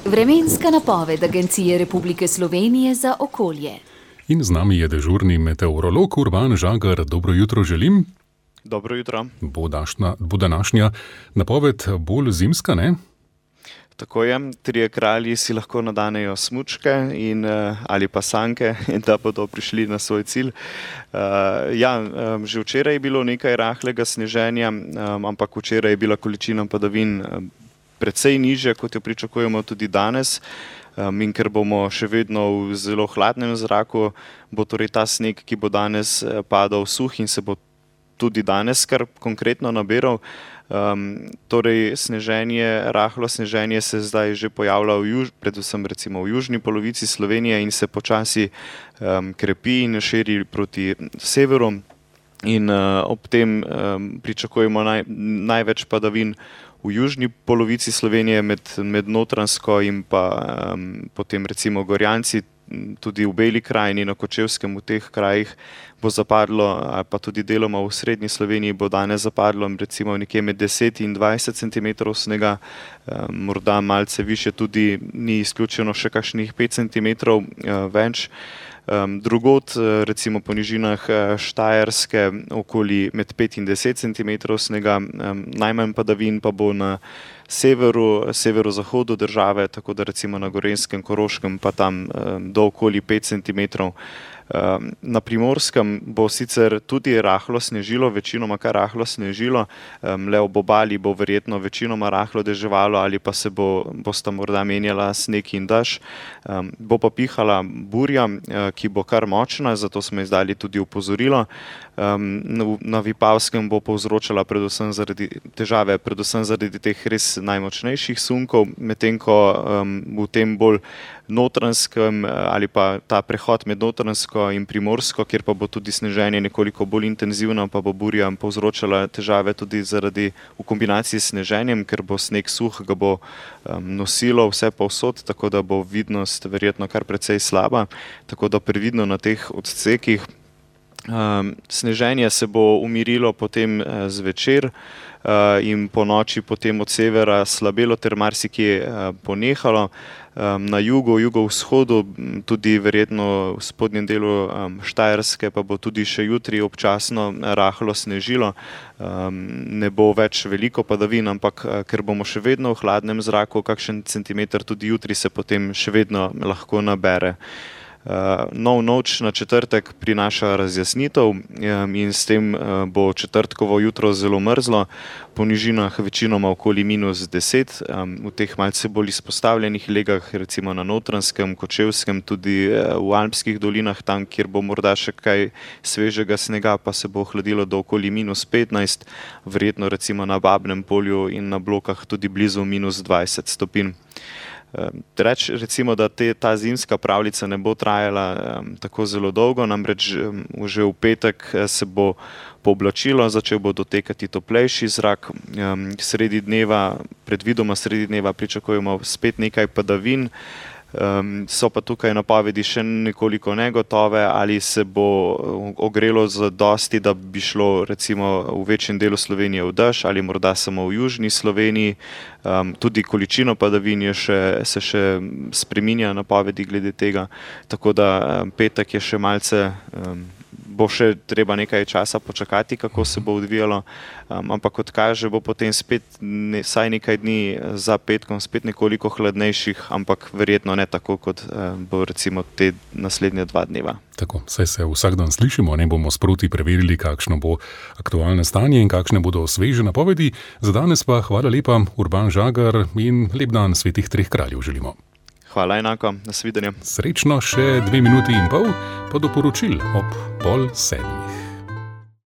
Vremenska napoved Agencije Republike Slovenije za okolje. In z nami je dežurni meteorolog Urban Žagar. Dobro jutro želim. Dobro jutro. Bo današnja napoved bolj zimska, ne? Tako je, trije kralji si lahko nadanejo smučke ali pa sanke, da bodo prišli na svoj cilj. Že včeraj je bilo nekaj rahlega sneženja, ampak včeraj je bila količina padavin precej nižja, kot jo pričakujemo tudi danes. In ker bomo še vedno v zelo hladnem zraku, bo torej ta sneg, ki bo danes padal, suh in se bo tudi danes kar konkretno nabiral. Torej rahlo sneženje se zdaj že pojavlja predvsem recimo v južni polovici Slovenije in se počasi krepi in širi proti severu. In ob tem pričakujemo največ padavin v južni polovici Slovenije med Notranjsko in pa potem recimo Gorjanci, tudi v Beli krajini, na Kočevskem, v teh krajih bo zapadlo, ali pa tudi deloma v srednji Sloveniji bo danes zapadlo recimo nekje med 10 in 20 cm snega, morda malce više, tudi ni izključeno še kakšnih 5 cm več. Drugod, recimo po nižinah Štajerske, okoli med 5 in 10 cm snega, najmanj padavin pa bo na severozahodu države, tako da recimo na Gorenjskem, Koroškem pa tam do okoli 5 cm. Na Primorskem bo sicer tudi rahlo snežilo, večinoma kar rahlo snežilo, le ob obali bo verjetno večinoma rahlo deževalo ali pa se bosta morda menjala sneg in dež. Bo pa pihala burja, ki bo kar močna, zato smo izdali tudi opozorilo. Na Vipavskem bo povzročala težave predvsem zaradi teh res najmočnejših sunkov, medtem ko v tem bolj Notranjskem ali pa ta prehod med Notranjsko in Primorsko, kjer pa bo tudi sneženje nekoliko bolj intenzivno, pa bo burja povzročala težave tudi v kombinaciji s sneženjem, ker bo sneg suh, ga bo nosilo vse povsod, tako da bo vidnost verjetno kar precej slaba, tako da previdno na teh odsekih. Sneženje se bo umirilo potem zvečer in po noči potem od severa slabelo ter marsikje ponehalo. Na jugovzhodu, tudi verjetno v spodnjem delu Štajerske, pa bo tudi še jutri občasno rahlo snežilo. Ne bo več veliko padavin, ampak ker bomo še vedno v hladnem zraku, kakšen centimeter tudi jutri se potem še vedno lahko nabere. Nov noč na četrtek prinaša razjasnitev in s tem bo četrtkovo jutro zelo mrzlo, po nižinah večinoma okoli -10, v teh malce bolj izpostavljenih legah, recimo na Notranjskem, Kočevskem, tudi v Alpskih dolinah, tam, kjer bo morda še kaj svežega snega, pa se bo ohladilo do okoli -15, verjetno recimo na Babnem polju in na Blokah tudi blizu -20 stopinj. Recimo, da ta zimska pravljica ne bo trajala tako zelo dolgo, namreč že v petek se bo pooblačilo, začel bo dotekati toplejši zrak, predvidoma sredi dneva pričakujemo spet nekaj padavin. So pa tukaj napovedi še nekoliko negotove, ali se bo ogrelo zadosti, da bi šlo recimo v večjem delu Slovenije v dež ali morda samo v južni Sloveniji. Tudi količino padavin se še spreminja napovedi glede tega, tako da petek je še malce, bo še treba nekaj časa počakati, kako se bo odvijalo, ampak kot kaže, bo potem spet vsaj nekaj dni za petkom spet nekoliko hladnejših, ampak verjetno ne tako, kot bo recimo te naslednje 2 dneva. Tako, saj se vsak dan slišimo, ne bomo sproti preverili, kakšno bo aktualno stanje in kakšne bodo sveže napovedi. Za danes pa hvala lepa, Urban Žagar, in lep dan Svetih treh kraljev želimo. Hvala enako, nasvidenje. Srečno, še 2 minuti in pol, pa do poročil ob 6:30.